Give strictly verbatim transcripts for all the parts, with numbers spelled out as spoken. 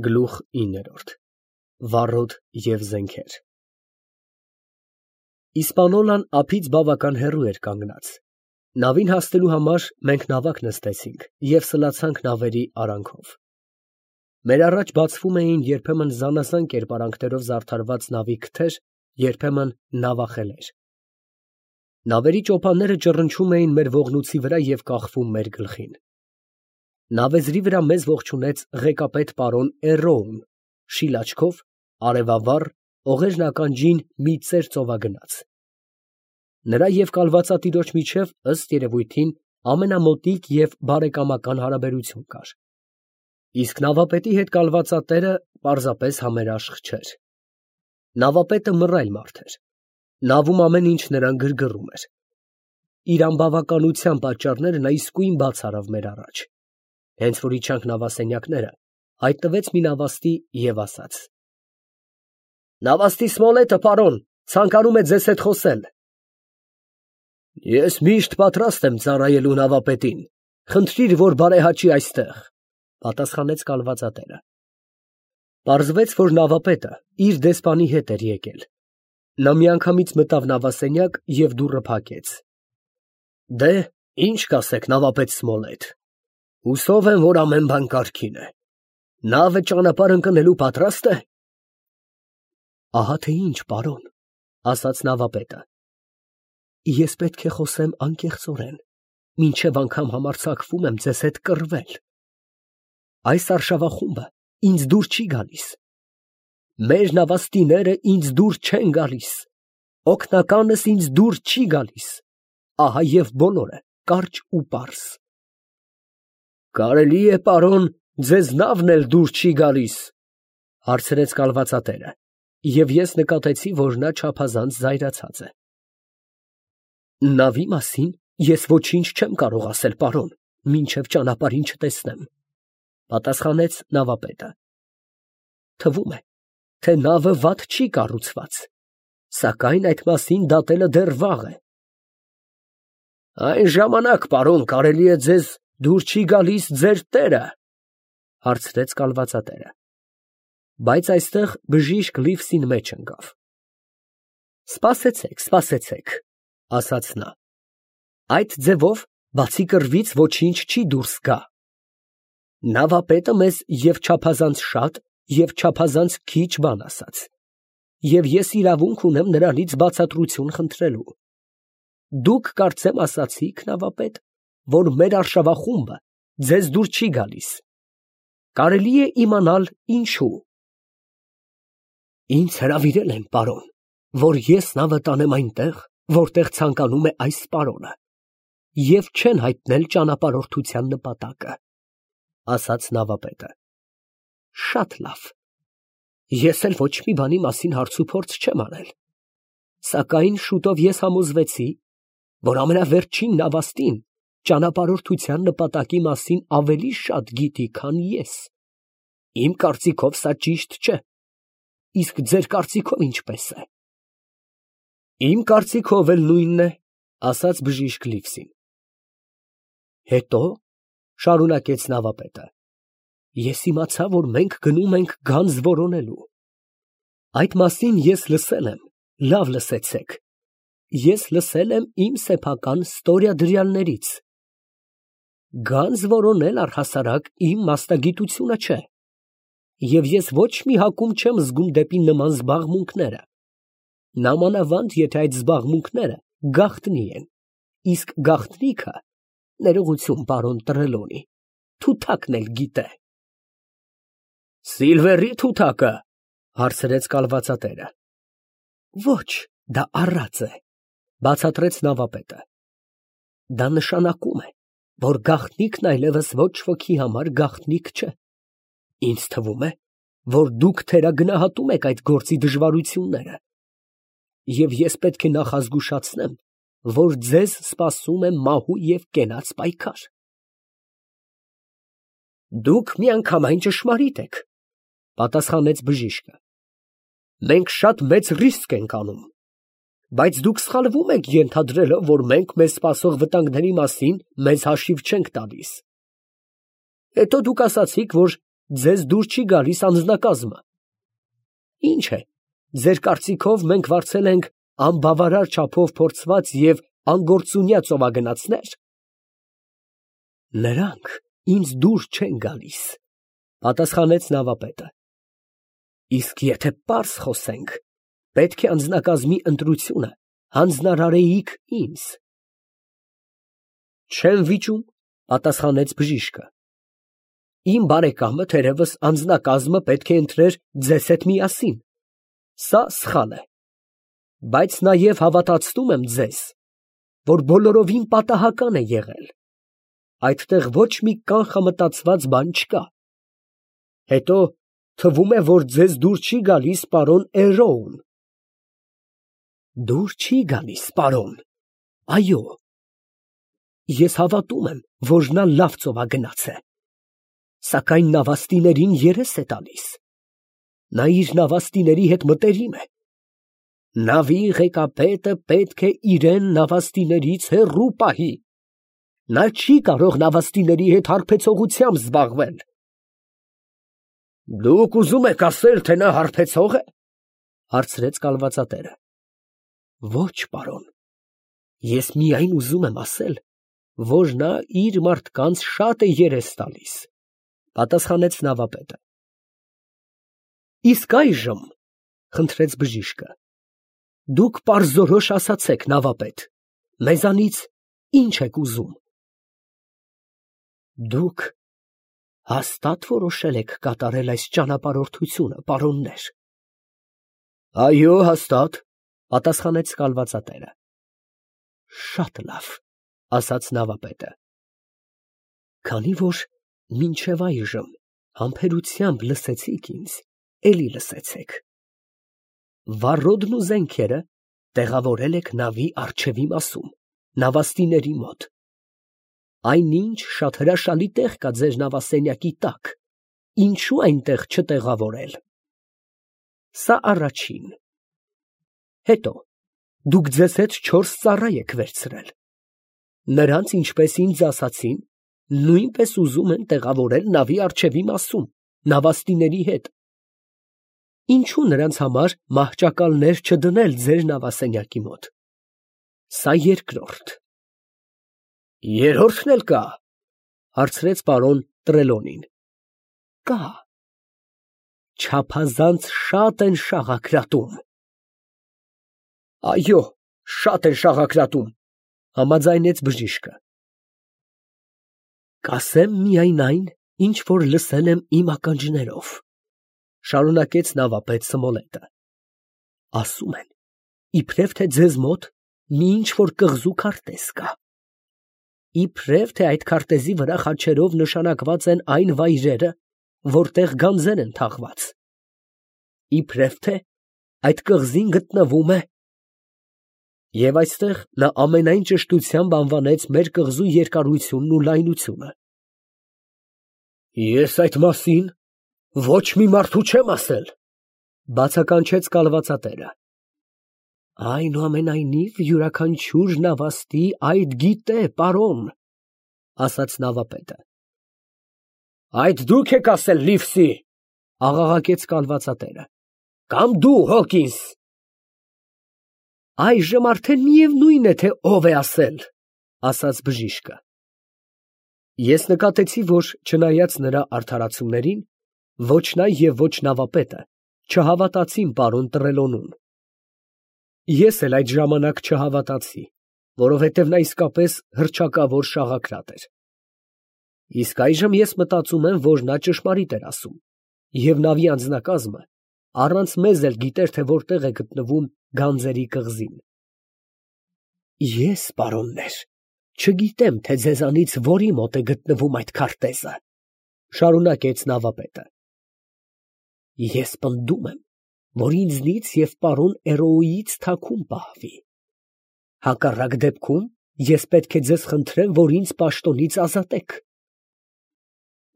Գլուխ ինը Վառոդ և զենքեր Իսպանոլան ափից բավական հեռու էր կանգնած, նավին հասնելու համար մենք նավակ նստեցինք և սլացանք նավերի արանքով, մեր առաջ բացվում էին երբեմն զանազան կերպարանքներով զարդարված նավի քթեր, երբեմն նավախելեր, նավերի ճոպանները ճռնչում էին մեր ողնույցի վրա և կախվում մեր գլխին, նավեզրի վրա մեզ ողջունեց ղեկապետ պարոն Էռոուն, շիլ աչքով, արևավառ, օղերն ականջին մի ծեր ծովագնաց, նրա և կալվածատիրոջ միջև, ըստ երևույթին, ամենամոտիկ և բարեկամական հարաբերություն կար, իսկ նավապետի հետ կալվածատերը պարզապես համերաշխ չէր, նավապետը մռայլ մարդ էր, նավում ամեն ինչ նրան գրգռում էր, իր անբավականության պատճառները նա իսկույն բաց արավ մեր առաջ, հենց որ իջանք նավասենյակները, հայտնվեց մի նավաստի և ասաց. «Նավաստի Սմոլետը, պարոն, ցանկանում է ձեզ հետ խոսել»։ «Ես միշտ պատրաստ եմ ծառայելու նավապետին, խնդրիր, որ բարեհաճի այստեղ», պատասխանեց կալվածատերը։ Պարզվեց, որ նավապետը իր դեսպանի հետ էր եկել, նա միանգամից մտավ նավասենյակ և դուռը փակեց։ «Դե, ի՞նչ կասեք, նավապետ Սմոլետ, հուսով եմ, որ ամեն բան կարգին է, նավը ճանապարհ ընկնելու պատրաստ է»։ «Ահա թե ինչ, պարոն, ֊ ասաց նավապետը, ֊ ես պետք է խոսեմ անկեղծորեն, մինչև անգամ համարձակվում եմ ձեզ հետ կռվել, այս արշավախումբը ինձ դուր չի գալիս, մեր նավաստիները ինձ դուր չեն գալիս, օգնականս ինձ դուր չի գալիս, ահա և բոլորը կարճ ու պարզ»։ «Կարելի է, պարոն, ձեզ նավն էլ դուր չի գալիս, ֊ հարցրեց կալվածատերը, և ես նկատեցի, որ նա չափազանց զայրացած է։ «Նավի մասին ես ոչինչ չեմ կարող ասել, պարոն, մինչև ճանապարհին չտեսնեմ», ֊ պատասխանեց նավապետը։ «Թվում է, թե նավը վատ չի կառուցված, սակայն այդ մասին դատելը դեռ վաղ է»։ «Այն ժամանակ, պարոն, կարելի է ձեզ դուր չի գալիս ձեր տերը, ֊ հարցրեց կալվածատերը, բայց այստեղ բժիշկ Լիվսին մեջ ընկավ։ «Սպասեցեք, սպասեցեք, ֊ ասաց նա, ֊ այդ ձևով բացի կռվից ոչինչ չի դուրս գա. նավապետը մեզ և չափազանց շատ, և չափազանց քիչ բան ասաց, և ես իրավունք ունեմ նրանից բացատրություն խնդրելու։ Դուք կարծեմ ասացիք, նավապետ, որ մեր արշավախումբը ձեզ դուր չի գալիս, կարելի է իմանալ ինչու»։ «Ինձ հրավիրել են, պարոն, որ ես նավը տանեմ այնտեղ, որտեղ ցանկանում է այս պարոնը, և չեն հայտնել ճանապարհորդության նպատակը», ֊ ասաց նավապետը։ «Շատ լավ, ես էլ ոչ մի բանի մասին հարցուփորձ չեմ արել, սակայն շուտով ես համոզվեցի, որ ամենավերջին նավաստին ճանապարհորդության նպատակի մասին ավելի շատ գիտի, քան ես։ Իմ կարծիքով սա ճիշտ չէ, իսկ ձեր կարծիքով ինչպե՞ս է»։ «Իմ կարծիքով էլ նույնն է, ֊ ասաց բժիշկ Լիվսին»։ «Հետո, ֊ շարունակեց նավապետը, ֊ ես իմացա, որ մենք գնում ենք գանձ որոնելու։ Այդ մասին ես լսել եմ, լավ լսեցեք, ես լսել եմ իմ սեփական ստորյադրյալներից։ Գանձ որոնել առհասարակ իմ մասնագիտությունը չէ, և ես ոչ մի հակում չեմ զգում դեպի նման զբաղմունքները, նամանավանդ եթե այդ զբաղմունքները գաղտնի են, իսկ գաղտնիքը, ներողություն, պարոն Տրելոնի, թութակն էլ գիտե»։ «Սիլվերի թութակը, ֊ հարցրեց կալվածատերը։ «Ոչ, դա առած է, ֊ բացատրեց նավապետը։ Դա նշանակում է, որ գաղտնիքն այլևս ոչ ոքի համար գաղտնիք չէ։ Ինձ թվում է, որ դուք թերագնահատում եք այդ գործի դժվարությունները, և ես պետք է նախազգուշացնեմ, որ ձեզ սպասում է մահու և կենաց պայքար»։ «Դուք միանգամայն ճշմարիտ եք, ֊ պատասխանեց բժիշկը, ֊ մենք շատ մեծ ռիսկ ենք անում, բայց դուք սխալվում եք ենթադրելով, որ մենք մեզ սպասող վտանգների մասին մեզ հաշիվ չենք տալիս։ Հետո դուք ասացիք, որ ձեզ դուր չի գալիս անձնակազմը։ Ինչ է, ձեր կարծիքով մենք վարձել ենք անբավարար չափով փորձված և անգործունյա ծովագնացնե՞ր։ Նրանք ինձ դուր չեն գալիս, պատասխանեց նավապետը։ Իսկ եթե պարզ խոսենք, պետք է անձնակազմի ընտրությունը հանձնարարեիք ինձ։ Չեմ վիճում, պատասխանեց բժիշկը։ Իմ բարեկամը թերևս անձնակազմը պետք է ընտրեր ձեզ հետ միասին։ Սա սխալ է։ Բայց նաև հավատացնում եմ ձեզ, որ բոլորովին պատահական է եղել։ Այդտեղ ոչ մի կանխամտածված բան չկա։ Հետո թվում է, որ ձեզ դուր չի գալիս պարոն Էրոուն։ Դուր չի գալիս, պարոն, այո։ Ես հավատում եմ, որ նա լավ ծովագնաց է, սակայն նավաստիներին երես է տալիս։ Նա իր նավաստիների հետ մտերիմ է։ Նավի ղեկապետը պետք է իրեն նավաստիներից հեռու պահի։ Նա չի կարող նավաստիների հետ հարբեցողությամբ զբաղվել։ Դուք ուզում եք ասել, թե նա հարբեցող է, հարցրեց կալվածատերը։ Ոչ, պարոն, ես միայն ուզում եմ ասել, որ նա իր մարդկանց շատ է երես տալիս, պատասխանեց նավապետը։ Իսկ այժմ, խնդրեց բժիշկը, դուք պարզորոշ ասացեք, նավապետ, մեզանից ինչ եք ուզում։ Դուք հաստատ որոշել եք կատարել այս ճանապարհորդությունը, պարոններ։ Այո, հաստատ, պատասխանեց կալվածատերը։ Շատ լավ, ասաց նավապետը։ Քանի որ մինչև այժմ համբերությամբ լսեցիք ինձ, էլի լսեցեք։ Վառոդն ու զենքերը տեղավորել եք նավի առջևի մասում, նավաստիների մոտ։ Այնինչ շատ հրաշալի տեղ կա ձեր նավասենյակի տակ, ինչու այնտեղ չտեղավորել։ Սա առաջին։ Հետո դուք ձեզ հետ չորս ծառա եք վերցրել։ Նրանց, ինչպես ինձ ասացին, նույնպես ուզում են տեղավորել նավի առջևի մասում, նավաստիների հետ։ Ինչու նրանց համար մահճակալներ չդնել ձեր նավասենյակի մոտ։ Սա երկրորդ։ Երրորդն էլ կա, հարցրեց պարոն Տրելոնին։ Կա։ Չափազանց շատ են շաղակրատում։ Այո, շատ են շաղակրատում, համաձայնեց բժիշկը։ Կասեմ միայն այն, ինչ որ լսել եմ իմ ականջներով, շարունակեց նավապետ Սմոլետը։ Ասում են, իբրև թե ձեզ մոտ մի ինչ որ կղզու քարտեզ կա։ Իբրև թե այդ քարտեզի վրա խաչերով նշանակված են այն վայրերը, որտեղ գանձեր են թաղված։ Իբրև թե այդ կղզին գտնվում է։ Եվ այստեղ նա ամենայն ճշտությամբ անվանեց մեր կղզու երկարությունն ու լայնությունը։ Ես այդ մասին ոչ մի մարդու չեմ ասել, բացականչեց կալվածատերը։ Այնուամենայնիվ յուրաքանչյուր նավաստի այդ գիտե, պարոն, ասաց նավապետը։ Այդ դուք եք ասել, Լիվսի, աղաղակեց կալվածատերը։ Կամ դու, Հոկինս։ Այժմ արդեն միևնույն է, թե ով է ասել, ասաց բժիշկը։ Ես նկատեցի, որ չնայած նրա արդարացումներին, ոչ նա և ոչ նավապետը չհավատացին պարոն Տրելոնուն։ Ես էլ այդ ժամանակ չհավատացի, որովհետև նա իսկապես հռչակավոր շաղակրատ էր։ Իսկ այժմ ես մտածում եմ, որ նա ճշմարիտ էր ասում, և նավի անձնակազմը առանց մեզ էլ գիտեր, թե որտեղ է գտնվում գանձերի կղզին։ Ես, պարոններ, չգիտեմ, թե ձեզանից որի մոտ է գտնվում այդ քարտեզը, շարունակեց նավապետը։ Ես պնդում եմ, որ ինձնից և պարոն Էրոուից թաքուն պահվի։ Հակառակ դեպքում ես պետք է ձեզ խնդրեմ, որ ինձ պաշտոնից ազատեք։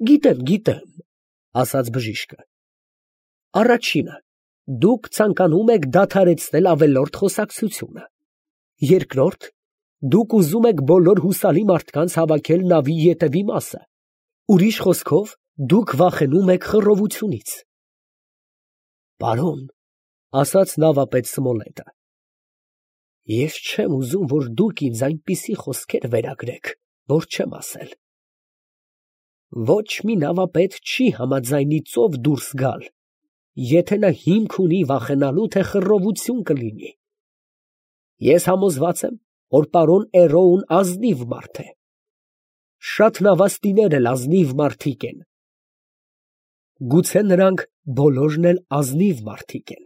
Գիտեմ, գիտեմ, ասաց բժիշկը։ Առաջինը, դուք ցանկանում եք դադարեցնել ավելորդ խոսակցությունը։ Երկրորդ, դուք ուզում եք բոլոր հուսալի մարդկանց հավաքել նավի ետևի մասը, ուրիշ խոսքով, դուք վախենում եք խռովությունից։ Պարոն, ասաց նավապետ Սմոլետը, ես չեմ ուզում, որ դուք ինձ այնպիսի խոսքեր վերագրեք, որ չեմ ասել։ Ոչ մի նավապետ չի համաձայնի ծով դուրս գալ, եթե նա հիմք ունի վախենալու, թե խռովություն կլինի։ Ես համոզված եմ, որ պարոն Էրոուն ազնիվ մարդ է։ Շատ նավաստիներ էլ ազնիվ մարդիկ են։ Գուցե նրանք բոլորն էլ ազնիվ մարդիկ են,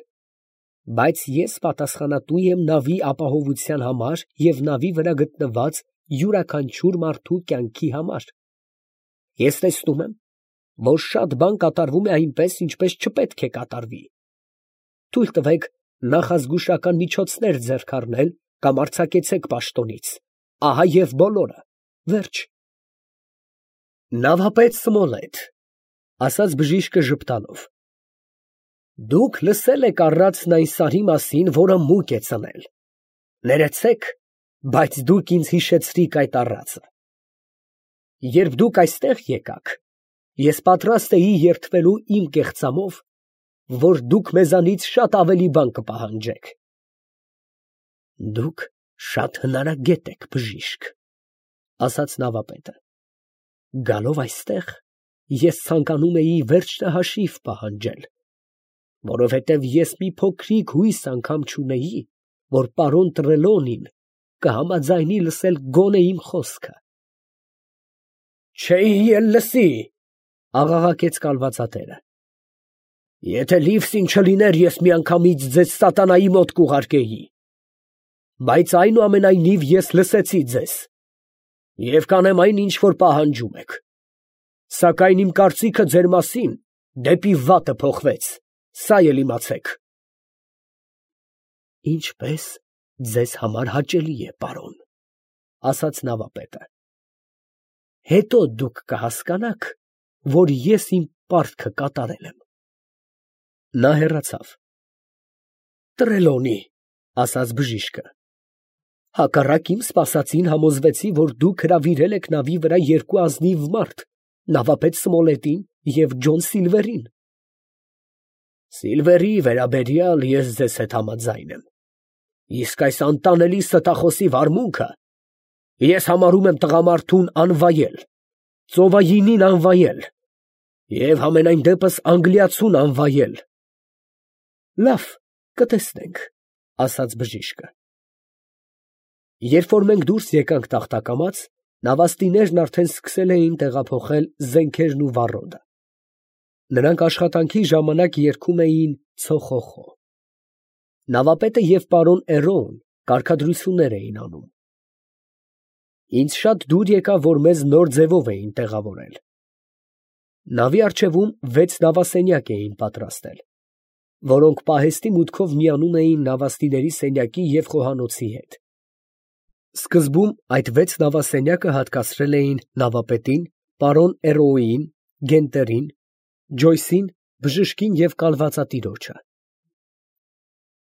բայց ես պատասխանատու եմ նավի ապահովության համար և նավի վրա գտնված յուրաքանչյուր մարդու կյանքի համար։ Ես տեսնում եմ, որ շատ բան կատարվում է այնպես, ինչպես չպետք է կատարվի։ Թույլ տվեք նախազգուշական միջոցներ ձեռք առնել կամ արձակեցեք պաշտոնից, ահա և բոլորը, վերջ։ Նավապետ Սմոլետ, ասաց բժիշկը ժպտալով, դուք լսել եք առածն այն սարի մասին, որը մուկ է ծնել։ Ներեցեք, բայց դուք ինձ հիշեցրիք այդ առածը։ Երբ դուք այստեղ եկաք, ես պատրաստ էի երդվելու իմ կեղծամով, որ դուք մեզանից շատ ավելի բան կպահանջեք։ Դուք շատ հնարագետ եք, բժիշկ, ասաց նավապետը։ Գալով այստեղ, ես ցանկանում էի վերջնահաշիվ պահանջել, որովհետև ես մի փոքրիկ հույս անգամ չունեի, որ պարոն Տրելոնին կհամաձայնի լսել գոնե իմ խոսքը։ Չէի էլ լսի, աղաղակեց կալվածատերը։ Եթե Լիվսին չլիներ, ես միանգամից ձեզ սատանայի մոտ կուղարկեի։ Բայց այնուամենայնիվ ես լսեցի ձեզ և կանեմ այն, ինչ որ պահանջում եք։ Սակայն իմ կարծիքը ձեր մասին դեպի վատը փոխվեց, սա էլ իմացեք։ Ինչպես ձեզ համար հաճելի է, պարոն, ասաց նավապետը։ Հետո դուք կհասկանաք, որ ես իմ պարտքը կատարել եմ։ Նա հեռացավ։ Տրելոնի, ասաց բժիշկը, հակառակ իմ սպասածին համոզվեցի, որ դուք հրավիրել եք նավի վրա երկու ազնիվ մարդ, նավապետ Սմոլետին և Ջոն Սիլվերին։ Սիլվերի վերաբերյալ ես ձեզ հետ համաձայն եմ, իսկ այս անտանելի ստախոսի վարմունքը ես համարում եմ տղամարդուն անվայել, ծովայինին անվայել և համենայն դեպս անգլիացուն անվայել։ Լավ, կտեսնենք, ասաց բժիշկը։ Երբ որ մենք դուրս եկանք տախտակամած, նավաստիներն արդեն սկսել էին տեղափոխել զենքերն ու վառոդը։ Նրանք աշխատանքի ժամանակ երգում էին ցոխոխո։ Նավապետը և պարոն Էրոուն կարգադրություններ էին անում։ Ինձ շատ դուր եկավ, որ մեզ նոր ձևով էին տեղավորել։ Նավի առջևում վեց նավասենյակ էին պատրաստել, որոնք պահեստի մուտքով միանում էին նավաստիների սենյակի և խոհանոցի հետ։ Սկզբում այդ վեց նավասենյակը հատկացրել էին նավապետին, պարոն Էրոուին, Գենտերին, Ջոյսին, բժշկին և կալվածատիրոջը։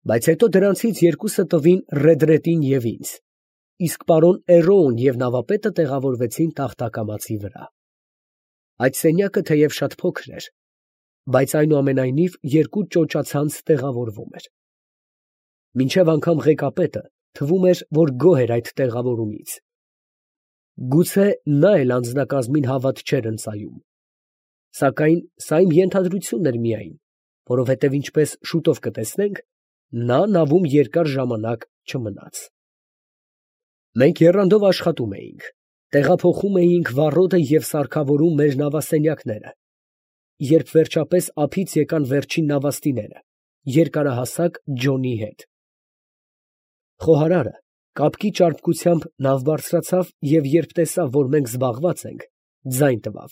Բայց հետո դրանցից երկուսը տվին Ռեդրետին և ինձ, իսկ պարոն Էրոուն և նավապետը տեղավորվեցին տախտակամածի վրա։ Այդ սենյակը թեև շատ փոքր էր, բայց այնուամենայնիվ երկու ճոճացանց տեղավորվում էր։ Մինչև անգամ ղեկապետը թվում էր, որ գոհ էր այդ տեղավորումից։ Գուցե նա էլ անձնակազմին հավատ չէր ընծայում։ Սակայն սա իմ ենթադրությունն էր միայն, որովհետև ինչպես շուտով կտեսնենք, նա նավում երկար ժամանակ չմնաց։ Մենք եռանդով աշխատում էինք, տեղափոխում էինք վառոդը և սարքավորում մեր նավասենյակները, երբ վերջապես ափից եկան վերջին նավաստիները, երկարահասակ Ջոնի հետ։ Խոհարարը կապկի ճարպկությամբ նավ բարձրացավ և երբ տեսավ, որ մենք զբաղված ենք, ձայն տվավ.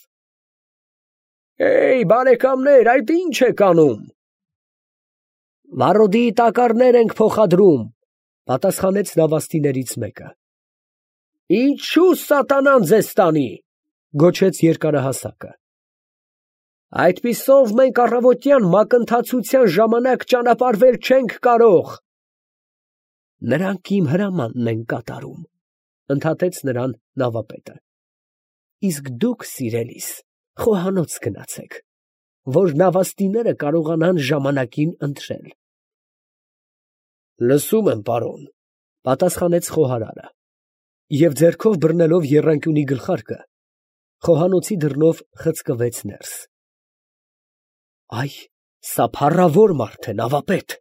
«Հեյ, բարեկամներ, այդ ի՞նչ եք անում»։ «Վառոդի տակառներ ենք փոխադրում», պատասխանեց նավաստիներից մեկը։ «Ինչո՞ւ սատանան ձեզ տանի», գոչեց երկարահասակը։ «Այդպիսով մենք առավոտյան մակընթացության ժամանակ ճանապարհվել չենք կարող»։ «Նրանք իմ հրամանն են կատարում», ընդհատեց նրան նավապետը։ «Իսկ դուք, սիրելիս, խոհանոց գնացեք, որ նավաստիները կարողանան ժամանակին ընթրել։ Լսում եմ, պարոն, պատասխանեց խոհարարը, և ձեռքով բռնելով եռանկյունի գլխարկը, խոհանոցի դռնով խցկվեց ներս։ Այ, սա փառավոր մարդ է, նավապետ,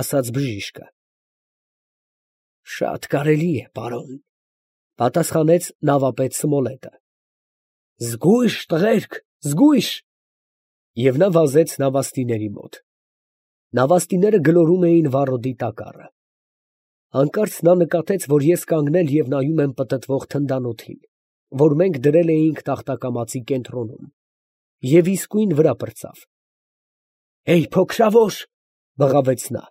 ասաց բժիշկը։ Շատ կարելի է, պարոն, պատասխանեց նավապետ Սմոլետը։ Զգույշ, տղերք, զգույշ։ Եվ նա վազեց նավաստիների մոտ։ Նավաստիները գլորում էին վառոդի տակառը։ Հանկարծ նա նկատեց, որ ես կանգնել և նայում եմ պտտվող թնդանոթին, որ մենք դրել էինք տախտակամածի կենտրոնում, և իսկույն վրա պրծավ։ Հեյ, փոքրավոր, բղավեց նա,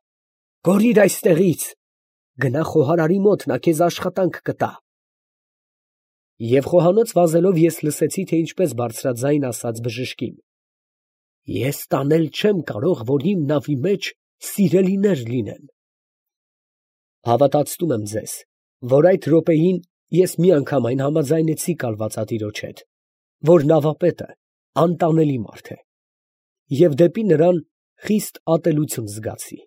կորիր այստեղից, գնա խոհարարի մոտ, նա քեզ աշխատանք կտա։ Եվ խոհանոց վազելով ես լսեցի, թե ինչպես բարձրաձայն ասաց բժշկին. Ես տանել չեմ կարող, որ իմ նավի մեջ սիրելիներ լինեն։ Հավատացնում եմ ձեզ, որ այդ րոպեին ես միանգամայն համաձայնեցի կալվածատիրոջ հետ, որ նավապետը անտանելի մարդ է, և դեպի նրան խիստ ատելություն զգացի։